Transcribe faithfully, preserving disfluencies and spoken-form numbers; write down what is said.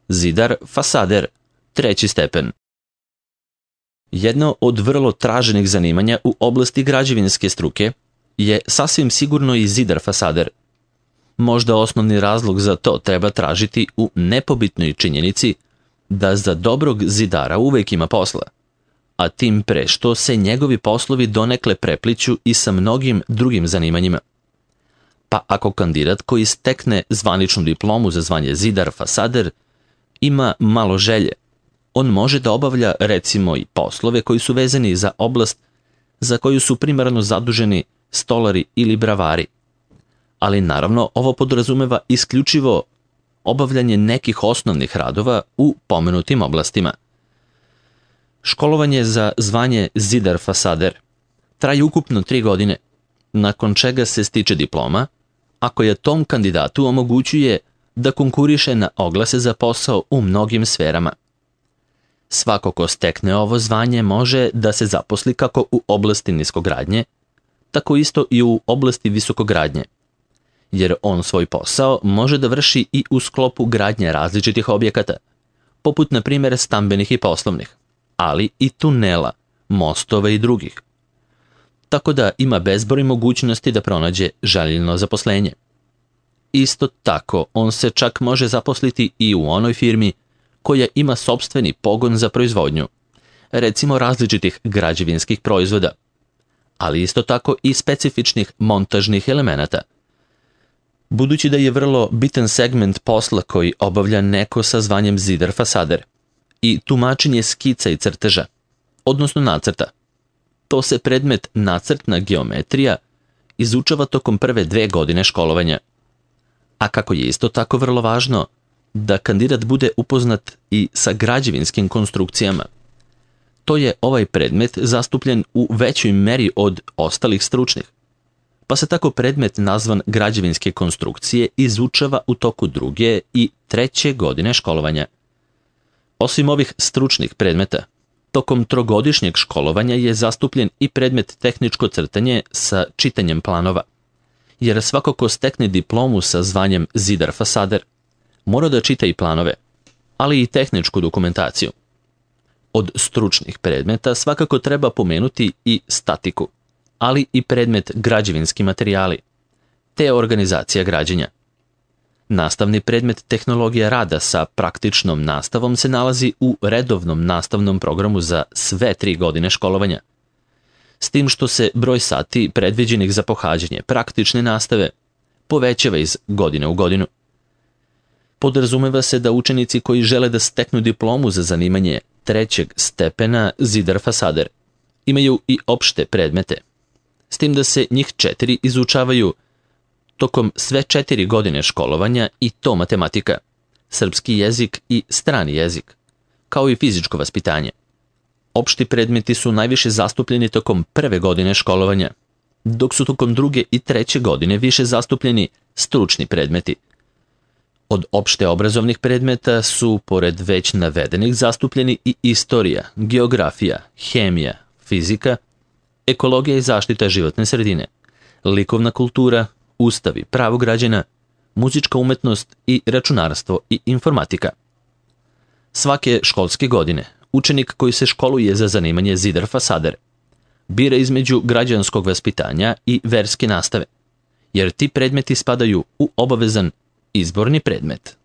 zidar fasader, treći stepen. Jedno od vrlo traženih zanimanja u oblasti građevinske struke je sasvim sigurno i zidar fasader. Možda osnovni razlog za to treba tražiti u nepobitnoj činjenici da za dobrog zidara uvek ima posla, a tim pre što se njegovi poslovi donekle prepliću i sa mnogim drugim zanimanjima. Pa ako kandidat koji stekne zvaničnu diplomu za zvanje zidar fasader ima malo želje, on može da obavlja recimo i poslove koji su vezani za oblast za koju su primarno zaduženi stolari ili bravari. Ali naravno ovo podrazumeva isključivo obavljanje nekih osnovnih radova u pomenutim oblastima. Školovanje za zvanje zidar fasader traje ukupno tri godine, nakon čega se stiče diploma, a koja tom kandidatu omogućuje da konkuriše na oglase za posao u mnogim sferama. Svako ko stekne ovo zvanje može da se zaposli kako u oblasti niskogradnje, tako isto i u oblasti visokogradnje, jer on svoj posao može da vrši i u sklopu gradnje različitih objekata, poput na primjer stambenih i poslovnih, ali i tunela, mostova i drugih. Tako da ima bezbroj mogućnosti da pronađe željeno zaposlenje. Isto tako, on se čak može zaposliti i u onoj firmi koja ima sopstveni pogon za proizvodnju, recimo različitih građevinskih proizvoda, ali isto tako i specifičnih montažnih elemenata. Budući da je vrlo bitan segment posla koji obavlja neko sa zvanjem zidar fasader i tumačenje skica i crteža, odnosno nacrta. To se predmet nacrtna geometrija izučava tokom prve dve godine školovanja. A kako je isto tako vrlo važno da kandidat bude upoznat i sa građevinskim konstrukcijama. To je ovaj predmet zastupljen u većoj meri od ostalih stručnih, pa se tako predmet nazvan građevinske konstrukcije izučava u toku druge i treće godine školovanja. Osim ovih stručnih predmeta, tokom trogodišnjeg školovanja je zastupljen i predmet tehničko crtanje sa čitanjem planova, jer svako ko stekne diplomu sa zvanjem zidar fasader mora da čita i planove, ali i tehničku dokumentaciju. Od stručnih predmeta svakako treba pomenuti i statiku, ali i predmet građevinski materijali, te organizacija građenja. Nastavni predmet tehnologija rada sa praktičnom nastavom se nalazi u redovnom nastavnom programu za sve tri godine školovanja, s tim što se broj sati predviđenih za pohađanje praktične nastave povećava iz godine u godinu. Podrazumeva se da učenici koji žele da steknu diplomu za zanimanje trećeg stepena zidar fasader imaju i opšte predmete, s tim da se njih četiri izučavaju tokom sve četiri godine školovanja i to matematika, srpski jezik i strani jezik, kao i fizičko vaspitanje. Opšti predmeti su najviše zastupljeni tokom prve godine školovanja, dok su tokom druge i treće godine više zastupljeni stručni predmeti. Od opšte obrazovnih predmeta su, pored već navedenih, zastupljeni i istorija, geografija, hemija, fizika, ekologija i zaštita životne sredine, likovna kultura, ustav i pravo građana, muzička umetnost i računarstvo i informatika. Svake školske godine učenik koji se školuje za zanimanje zidar fasader bira između građanskog vaspitanja i verske nastave, jer ti predmeti spadaju u obavezan izborni predmet.